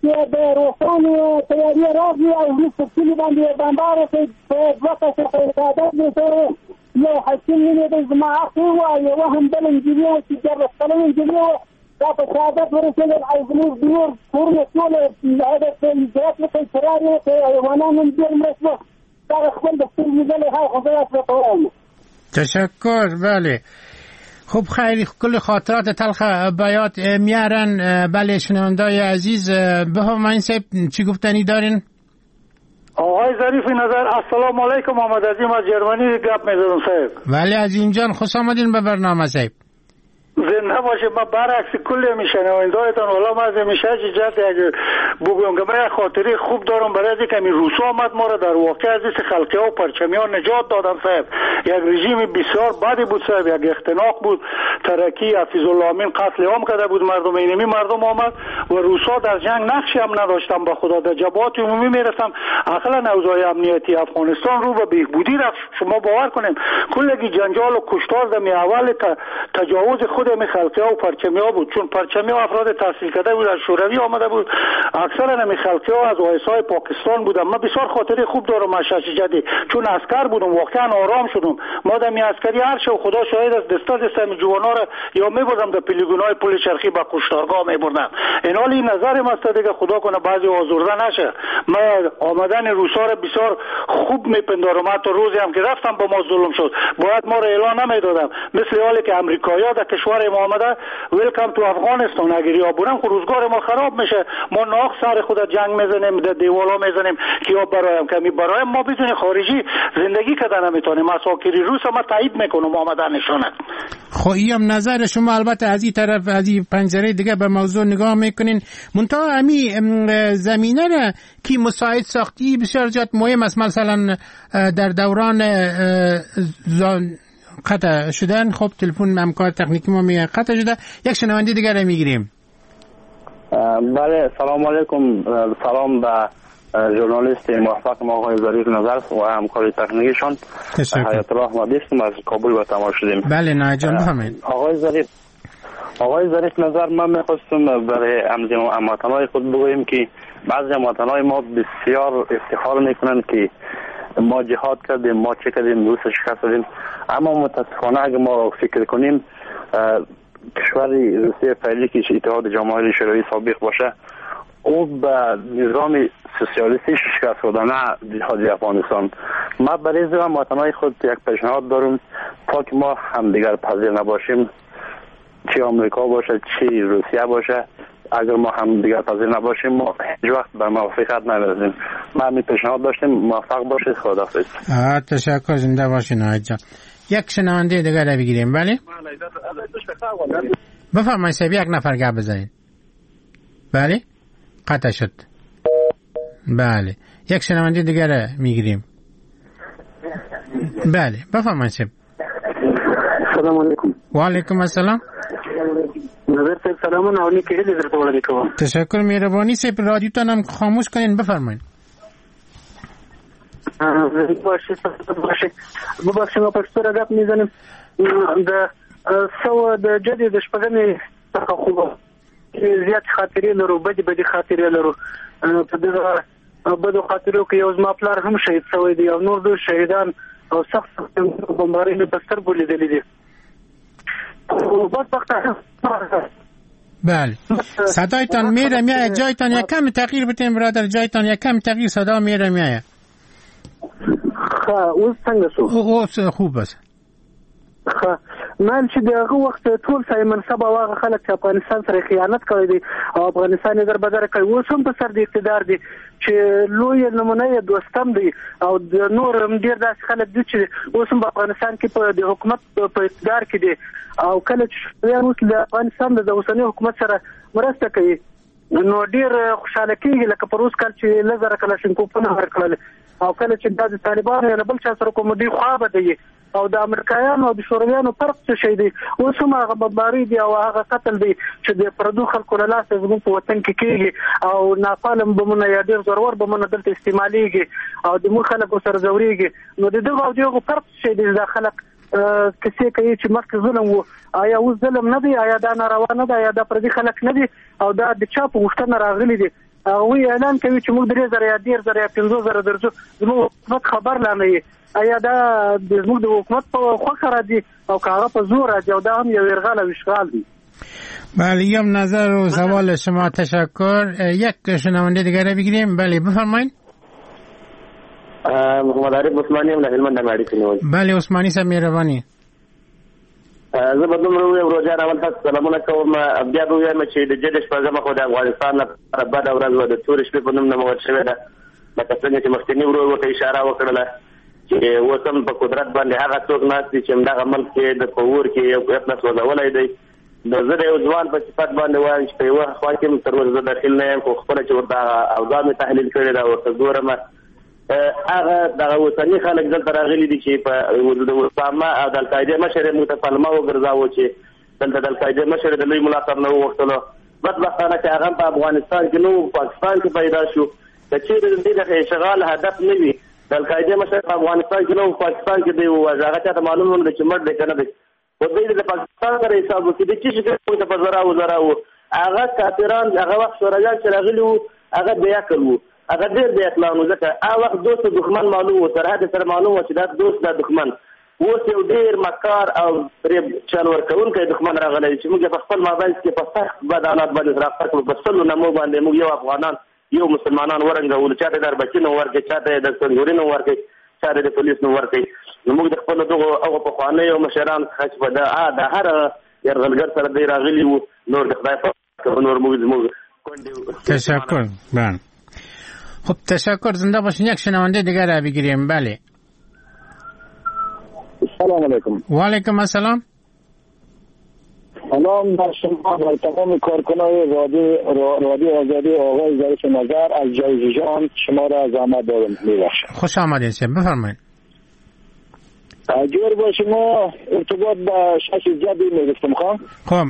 چې د روسانو طیارې راغلې او زموږ په کلي باندې بمبار وکړ. په دوه کسه په شهادت ورسېدل. یو حکیم نومېده زما اخ و، یوه هم بله نجلۍ وه چې دیارلس کلنه نجلۍ وه، دا په شهادت ورسېدل. او زموږ نور کورونه ټول هغه هجرت وکړ، فرار یې وکړ، حیوانان هم ډېر مړه شول. دا خپل د سترګو لیدلی حال خو زه داسې درته وایم. تشکر. بله خب خیلی کل خاطرات تلخ بیات میارن. بله شنوندای عزیز بفرمایید صاحب چی گفتنی دارین؟ آقای ظریف نظر السلام علیکم، محمد عظیم از جرمنی گپ میزنم صاحب. بله عظیم جان خوش آمدین به برنامه صاحب. زنده باشه. ما برعکس کل میشنوندایتان والا ما از میشه جهت اگه بگویم که من خاطره خوب دارم برای از اینکه روسا آمد ما را در واقع از دست خلقی ها و پرچمی ها نجات دادن صاحب. یک رژیم بسیار بدی بود صاحب، یک اختناق بود، ترکی حفیظ الله امین قتل عام کرده بود مردم، اینمی مردم آمد و روسا در جنگ نقشی هم نداشتن با خدا، در جبهات عمومی میرفتن. اقلا اوضاع امنیتی افغانستان رو به بهبودی رفت. شما باور کنیم کلگی جنجال و کشتار در اول تجاوز خود می خلقی ها و پرچمی ها بود، چون پرچمی ها افراد تحصیل کرده بود، از شوروی آمده بود، اکثر نمی خلقی ها از آیسای پاکستان بودن. من بسیار خاطره خوب دارم از شش جدی، چون عسکر بودم واقعا آرام شدم. ما در می عسکری هر شب خدا شاهد است دسته دسته می جوانا را یا میبردم در پلیگون های پل چرخی با کشتارگاه میبردم. این حال این نظر ماست دیگه، خدا کنه بعضی آزرده نشه. من آمدن روسا را بسیار خوب میپندارم، حتی روزی هم که رفتم با ما ظلم شد، باید ما را اعلان نمیدادم، مثل حالی که امریکایی‌ها در کشور ما آمده ویلکام تو افغانستان، اگر یا برم خب روزگار ما خراب میشه. ما ناخ سر خود جنگ میزنیم، در دیوالا میزنیم که یا برایم کمی برایم ما بدون خارجی زندگی کردن نمیتونیم. اساکری روس ما تایید میکنم آمدنشونه. خب این نظر شما، البته از این طرف از این پنجره دیگه به موضوع نگاه میکنین، منتها امی زمینه را کی مساعد ساختی بسیار زیاد مهم است. مثلا در دوران زان قطع شدن، خب تلفن همکار تکنیکی ما میگه قطع شده، یک شنونده دیگر رو میگیریم. بله سلام علیکم، سلام به ژورنالیست موفق ما آقای ظریف نظر و همکار تکنیکیشان حیات الله احمدی هستم، از کابل به تماس شدیم. بله نه جان بفرمایید. آقای ظریف آقای ظریف نظر، من میخواستم برای هموطنای خود بگویم که بعضی هموطنای ما بسیار افتخار میکنند که ما جهاد کردیم، ما چه کردیم، روس شکست دادیم، اما متاسفانه اگه ما فکر کنیم کشور روسیه فعلی که اتحاد جماهیر شوروی سابق باشه، او به نظام سوسیالیستی شکست داده، نه جهاد افغانستان. ما برای هموطنای خود یک پیشنهاد دارم تا که ما همدیگر پذیر نباشیم، چه آمریکا باشه چه روسیه باشه، اگر ما هم دیگر پذیر نباشیم ما هیچ وقت به موفقیت نمیرسیم. ما همین پیشنهاد داشتیم، موفق باشید، خداحافظ. تشکر، زنده باشین آقای جان. یک شنونده دیگر را بگیریم. بله بفرمایید صاحب، یک نفر گپ بزنید. بله قطع شد. بله یک شنونده دیگر را میگیریم. بله بفرمایید صاحب. سلام علیکم. و علیکم السلام. نظر صاحب سلام او نیکې هیلې درته وړاندې کوم. تشکر، مهرباني صاحب. رادیوتان هم خاموش کنین بفرمایید. باشه ببخشید ما پښتو را گپ میزنیم. د سو د جدي د شپږمې څخه خو زیات خاطرې لرو، بدې بدې خاطرې لرو. په دغه بدو خاطرو کې یو زما پلار هم شهید شوی دی او نور ډېر شهیدان او سخت سخت بمبارۍ مې په سترګو لیدلې دي. بله صدایتان میره میایه، جایتان یک کم تغییر بتین برادر، جایتان یک کم تغییر، صدا میره میایه. ښه اوس څنګه شو؟ اوس خوب است. ښه مال چې د هغه وخت ټول صاحب منصب او هغه خلک چې افغانستان سره خیانت کړی دی او افغانستان یې در بدر کړی، اوس هم په سر د اقتدار دي چې لوی نمونه یې دوستم دی او د نور هم ډېر داسې خلک دي چې اوس هم په افغانستان کې په د حکومت په اقتدار کې دي او کله چې شورویان اوس د افغانستان د اوسني حکومت سره مرسته کوي نو ډېر خوشحاله کېږي، لکه پروس کال چې لس زره کلاشینکوفونه ورکړل او کله چې دا د طالبانو یا له بل چا سره کوم دوی خوا بدوي او د امریکایانو او د شورویانو فرق څه شی دی؟ اوس هم هغه بمباري دی او هغه قتل دی چې د پردو خلکو له لاسه زموږ په وطن کې کېږي او ناپالم بمونه یا ډېر زورور بمونه دلته استعمالېږي او د موږ خلکو سره ځورېږي. نو د دغه او دغو فرق څه شی دی؟ دا خلک کیسې کوي چې مخکې ظلم و، آیا اوس ظلم نه دی؟ آیا دا ناروا نه ده؟ آیا دا پردي خلک نه دي؟ او دا د چا په غوښتنه راغلي دي؟ هغوی اعلان کوي چې موږ درې زره یا دېرش زره یا پنځه زره درځو، زموږ حکومت خبر لا نه وي. آیا دا زموږ د حکومت په خوښه راځي او که هغه په زور راځي؟ او دا هم یو یرغل او اشغال دی. بله یم نظر و سوال شما تشکر. یک شنونده دیگر بگیریم. بله بفرمایید. محمد عارف عثماني یم له هلمند نه اړیکه نیولې. بله عثماني صاحب مهرباني. زه به دومره ووایم ورور جان، اول تاسو سلامونه کوم، بیا به ووایم چې د جدي شپږمه خو د افغانستان لپاره بده ورځ وه، د تورې شپې په نوم نومول شوې ده. لکه څنګه چې مخکیني ورور ورته اشاره وکړله چې اوس هم په قدرت باندې هغه څوک ناست دي چې همدغه ملک کې د په اور کې یو قوت سوځولی دی. نو زه د یو ځوان په صفت باندې وایم چې په یوه خوا کې هم تر اوسه زه دخیل نه یم، خو خپله چې ورته هغه اوضاع مې تحلیل کړې ده ورته ګورم، هغه دغه اوسني خلک دلته راغلي دي چې په د اسامه او د القاعدې مشر یې موږ ته پلمه وګرځاوه چې دلته د القاعدې مشر د لوی ملا صاحب نه وغوښتلو. بدبختانه چې هغه په افغانستان کې نه و، پاکستان کې پیدا شو. که چېرې د دې د اشغال هدف نه وي، د القاعدې مشر په افغانستان کې نه و، پاکستان کې دی وواژه، هغه چاته معلوم نه ده چې مړ دی که نه دی. خو دوی د پاکستان سره حساب وکړي، د څه شي موږ ته په زراو زراو هغه کافران هغه وخت شورویان چې راغلي وو هغه بې عقل وو، هغه ډېر بې عقلان وو، ځکه هغه وخت دوست او دښمن معلوم وو، سرحد سره معلوم وو چې دا دوست دا دښمن. اوس یو ډېر مکار او فریب چل ورکوونکی دښمن راغلی چې موږ په خپل مابین کې په سخت بد حالات باندې سره اخته کړو، په سلو نمو باندې موږ یو افغانان یو مسلمانان ورنګولو، چاته د اربکي نوم ورکړي، چاته د سنګوري نوم ورکړي، چاته د پولیس نوم ورکړي. نو موږ د خپلو دغو هغو پخوانیو مشرانو څخه چې په د هر یرغلګر سره دی راغلي وو، نور د خدای په نور موږ زموږ کونډې. تشکر. بله خب تشکر، زنده باشین. یک شنونده دیگر را بگیریم. بله سلام علیکم. و علیکم السلام. سلام بر شما و تمام کارکنای رادیو رادیو آزادی. آقای ظریف نظر از جایزه جان شما را زحمت دادم، میبخشم. خوش آمدید سید، بفرمایید. اگر با شما ارتباط با شش جدی میگفتم خواهم. خب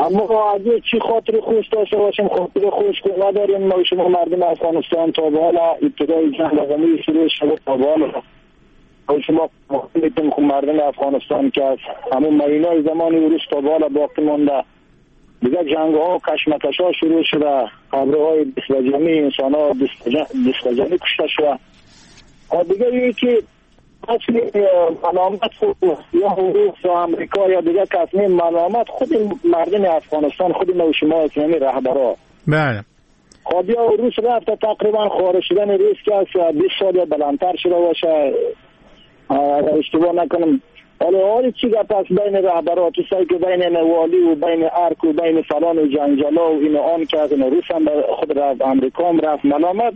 اما اگه چی خاطر خوش داشته باشیم، خاطر خوش که نداریم. ما شما مردم افغانستان تا به حال ابتدای جنگ رقمی شروع شده تا به حال شما میتونیم خب مردم افغانستان که از همون ماینای زمان روس تا به حال باقی مانده، دیگه جنگ ها و کشمکش ها شروع شده، قبرهای دست جمعی انسان ها دست جمعی کشته شده. دیگه یکی اصل ملامت خود یا روس یا امریکا یا دیگه کس نیم، ملامت خود مردم افغانستان، خود ما و شما اسلامی رهبرا. بله خب یا روس رفت تقریبا خارج شدن روس که از بیست سال یا بلندتر شده باشه اگر اشتباه نکنم. حالا حالی چی گپ است بین رهبرا، تو سعی که بین والی و بین ارک و بین فلان و جنجالا و این آن که از روس هم خود رفت، امریکا هم رفت، ملامت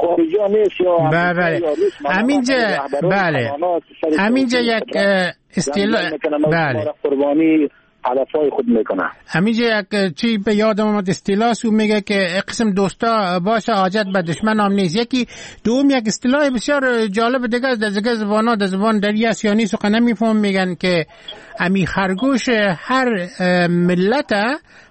خارجی ها نیست یا بله. همینجا بله همینجا یک اصطلاح بله قربانی هدفهای خود میکنه. همینجا یک چی به یادم آمد اصطلاح سو میگه که قسم دوستا باشه حاجت به دشمن هم نیست. یکی دوم یک اصطلاح بسیار جالب دیگه است در دیگه زبان‌ها، در زبان دری است یا نیست و نمیفهم، میگن که امی خرگوش هر ملت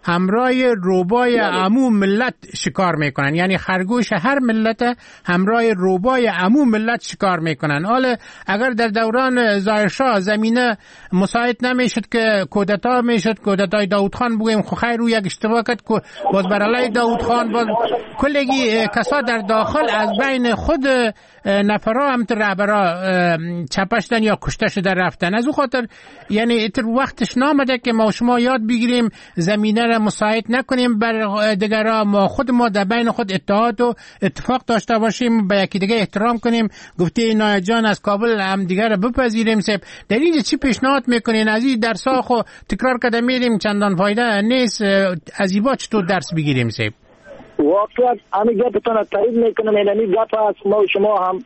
همراه روبای عمو ملت شکار میکنن، یعنی خرگوش هر ملت همراه روبای عمو ملت شکار میکنن. حالا اگر در دوران ظاهرشاه زمینه مساعد نمیشد که کودتا میشد، کودتای داود خان بگویم، خو خیر او یک اشتباه کرد که باز بر علیه داود خان باز کلگی کسا در داخل از بین خود نفرا هم رهبرا چپشتن یا کشته شده رفتن. از او خاطر یعنی اتر وقتش نامده که ما شما یاد بگیریم زمینه را مساعد نکنیم بر دیگرا، ما خود ما در بین خود اتحاد و اتفاق داشته باشیم، به یکی دیگه احترام کنیم. گفته نایت جان از کابل هم دیگر را بپذیریم. سب در اینجا چی پیشنهاد میکنین؟ از این درس ها خو تکرار کرده میریم چندان فایده نیست، از این با چطور درس بگیریم؟ سب واقعا همین گپتون تایید میکنم، یعنی گپ است ما و شما هم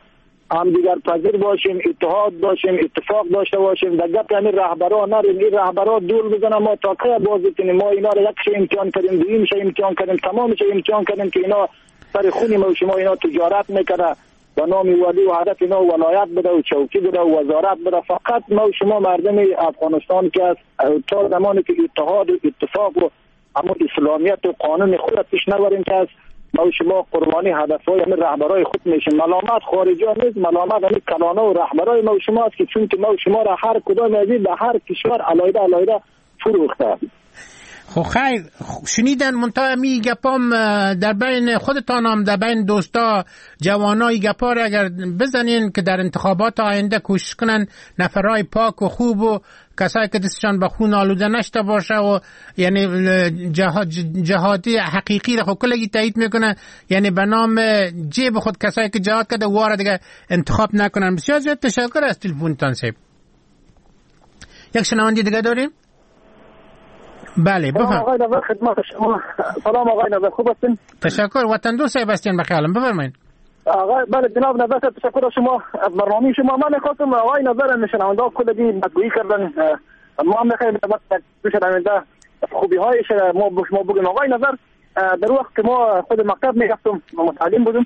هم دیگر پذیر باشیم، اتحاد باشیم، اتفاق داشته باشیم. در گپ همین رهبرا نریم، این رهبرا دور بزنن، ما تا کی بازی کنیم؟ ما اینا رو یک شی امتحان کردیم، دویم شی امتحان کردیم، تمام شی امتحان کردیم که اینا سر خونی ما و شما اینا تجارت میکنه با نام والی و هدف اینا ولایت بده و چوکی بده و وزارت بده. فقط ما و شما مردم افغانستان که از تا زمانی که اتحاد و اتفاق و اما اسلامیت و قانون خود پیش نبریم که از ما و شما قربانی هدفهای همین رهبرای خود میشیم. ملامت خارجی ها نیست، ملامت همین کلانه و رهبرای ما و شما است که چون که ما و شما را هر کدام از این به هر کشور علاوه علاوه فروخته. خب خیر شنیدن منتها می گپام در بین خودتان هم در بین دوستا جوانای گپا را اگر بزنین که در انتخابات آینده کوشش کنن نفرای پاک و خوب و کسایی که دستشان به خون آلوده نشته باشه و یعنی جهاد جهادی حقیقی را خب کلگی تایید میکنه، یعنی به نام جیب خود کسایی که جهاد کرده واره دیگه انتخاب نکنن. بسیار زیاد تشکر از تلفنتان سیب. یک شنونده دیگه داریم؟ بله بفرمایید. آقای نظر خدمت شما. سلام آقای نظر، خوب هستین؟ تشکر، وطن دوست صاحب هستین بخیالم، بفرمایید. آقای بله جناب نظر تشکر از شما از برنامه شما. من می‌خواستم آقای نظر شنونده کلی بدگویی کردن، ما هم می‌خوایم به شنونده خوبی‌هایش ما به شما بگیم. آقای نظر در وقت که ما خود مکتب می‌رفتم، متعلم بودم،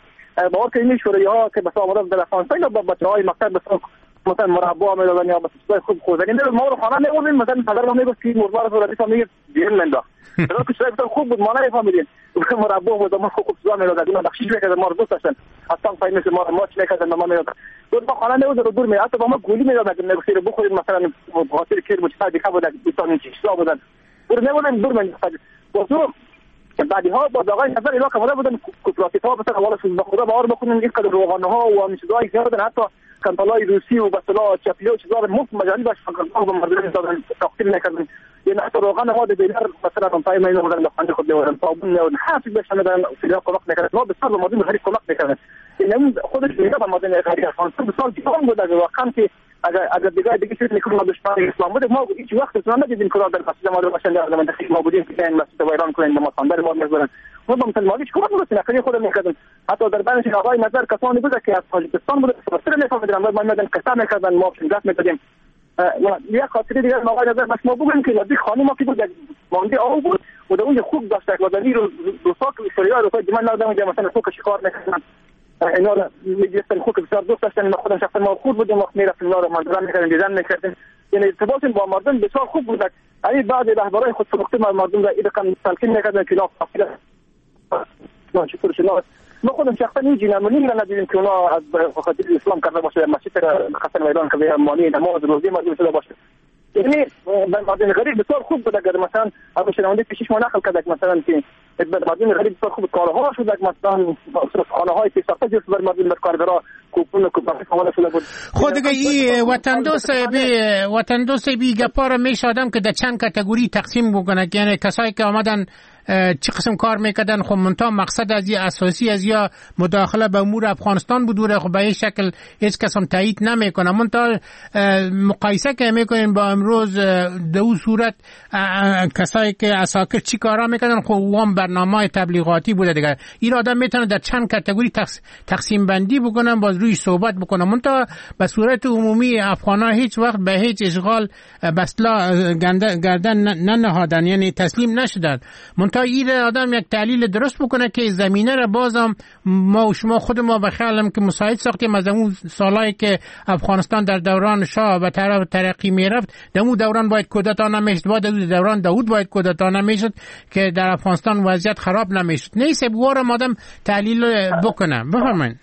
باور کنید شوری‌ها که بس آمدن در افغانستان با بچه‌های مکتب بس مثلا مربا میدادن یا بس خوب خوردنی ما رو خانه می‌آوردیم، مثلا پدر ما میگفت که مربا رو ردیف میگه بیرون انداخت. در که چیزای خوب بود ما نفهمیدیم، مربا بود ما خوب چیزا میدادن، اینا بخشش میکردن، ما رو دوست داشتن، اصلا فهمید ما رو ماچ میکردن، ما میدادن دور ما خانه می‌آورد رو دور می حتی با ما گولی میدادن که میگفت بخورید مثلا خاطر کیر بود چیزا دیگه بود دوستان چیزا بودن دور می‌آوردن دور من بازو. بعدی ها با آقای نظر اینا که بودن کوپراتیو ها مثلا اولش به خدا باور بکنن اینقدر روغانه ها و همین چیزایی که بودن، حتی کنتالای روسی و به اصطلاح چپی و چیزا مفت مجانی باش فقط به مردم دادن تقسیم نکردن. یعنی حتی روغن ما دیلر مثلا پای ما بودن در خانه خود می‌آوردن، صابون می‌آوردن، حرفی بهش ندادن، فیلا کمک نکردن، ما بسیار به مردم غریب کمک نکردن. یعنی خودش میگه به مردم غریب افغانستان بسیار جوان بود. واقعا که اگر اگر دیگه دیگه چیز میکنه ما دشمن اسلام بود، ما هیچ وقت اصلا ندیدیم که در مسجد ما رو باشن در منطقه ما بودیم که این مسجد ویران کنن، ما صندل ما می‌ذارن، ما با مسلمان‌ها هیچ کمک نمی‌رسیم، خیلی خودم می‌کردن. حتی در بینش آقای نظر کسانی بود که از تاجیکستان بود، فارسی نمی‌فهمیدن، ما می‌دادن قصه می‌کردن، ما گپ می‌دادیم. یک خاطره دیگه آقای نظر بس ما بگیم که نزدیک خانه ما که بود یک مانده آب بود و در اونجا خوب داشت و در رو دوستا که سریا رو که من ندادم اونجا مثلا خوک شکار می‌کردن، اینا رو می‌گرفتن، خوک بسیار دوست داشتن. ما خودم شخصا ما خود بودیم وقت می‌رفتیم اینا رو منظره می‌کردیم، دیدن می‌کردیم، یعنی ارتباط با مردم بسیار خوب بود. یعنی بعضی رهبرای خود فروخته مردم را این رقم تلقین می‌کردن که لا لا چطور شد. ما خودم شخصا هیچ نمونه‌ای ندیدیم که اونا از خاطر اسلام کرده باشه، مسجد را خاصن ویران کرده، مانع نماز روزی مردم شده باشه. یعنی مردم غریب بسیار خوب بود. اگر مثلا ابو شنونده پیشش ما نقل کرد مثلا که مردم غریب بسیار خوب کارها شد، مثلا خانه های پیشرفته جور بر مردم کارگرا کوپون و کوپون حواله شده بود. خود دیگه این وطن دوست بی وطن دوست بی گپا را میشه آدم که در چند category تقسیم بکنه، یعنی کسایی که آمدن چه قسم کار میکردن، خب منتها مقصد از یه اساسی از یا مداخله به امور افغانستان بود و خب به این شکل هیچ کس هم تایید نمیکنه. منتها مقایسه که میکنیم با امروز دو صورت کسایی که عساکر چی کارا میکردن، خب وام برنامه تبلیغاتی بوده دیگه. این آدم میتونه در چند category تقسیم بندی بکنه، باز روی صحبت بکنه. منتها به صورت عمومی افغانا هیچ وقت به هیچ اشغال به اصطلاح گردن ننهادن، یعنی تسلیم نشدن. منتها این آدم یک تحلیل درست بکنه که زمینه را بازم ما و شما خود ما به خیالم که مساعد ساختیم از اون سالایی که افغانستان در دوران شاه به طرف ترقی میرفت، در اون دوران باید کودتا نمیشد، بعد از دوران داوود باید کودتا نمیشد که در افغانستان وضعیت خراب نمیشد. نیست بوارم آدم تحلیل بکنه. بفرمایید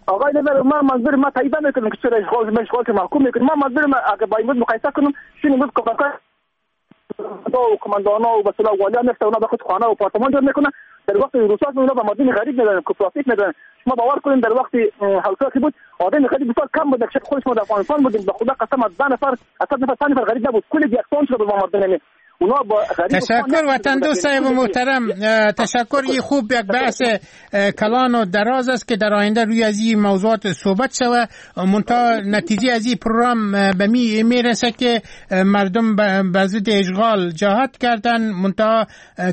آقای نظر. ما منظور ما تایید نمیکنم که چرا اشغال اشغال که محکوم میکنم. ما منظور ما اگه با این مقایسه کنم شنو بود که و کماندانا و به اصطلاح والی هم اونا به خود خانه و آپارتمان جور میکنن. در وقت روسا اونا به مردم غریب میدادن، کوپراتیو میدادن. شما باور کنین در وقت حلقه که بود آدم غریب بسیار کم بود. که خودش ما در افغانستان بودیم، به خدا قسم از ده نفر از صد نفر پنج نفر غریب نبود، کل یکسان شده بود با مردم. یعنی تشکر وطن دوست صاحب محترم، تشکر. این خوب یک بحث کلان و دراز است که در آینده روی از این موضوعات صحبت شود. منتها نتیجه از این پروگرام به می میرسه که مردم به ضد اشغال جهاد کردن، منتها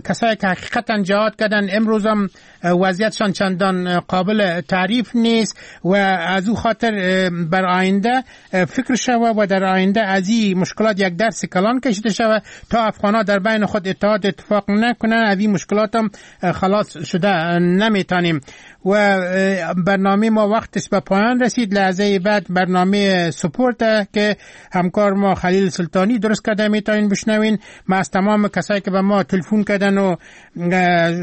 کسایی که حقیقتا جهاد کردن امروز هم وضعیتشان چندان قابل تعریف نیست و از او خاطر بر آینده فکر شود و در آینده از این مشکلات یک درس کلان کشیده شود تا افغان‌ها در بین خود اتحاد اتفاق نکنن، از این مشکلات هم خلاص شده نمیتونیم. و برنامه ما وقتش به پایان رسید. لحظه بعد برنامه سپورت که همکار ما خلیل سلطانی درست کرده میتونین بشنوین. ما از تمام کسایی که به ما تلفن کردن و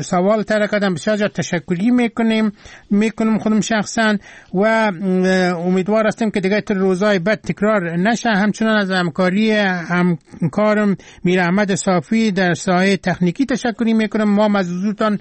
سوال طرح کردن بسیار زیاد تشکری میکنیم میکنم خودم شخصا و امیدوار هستیم که دیگه تر روزای بعد تکرار نشه. همچنان از همکاری همکارم میر احمد صافی در ساحه تکنیکی تشکری میکنم. ما از حضورتان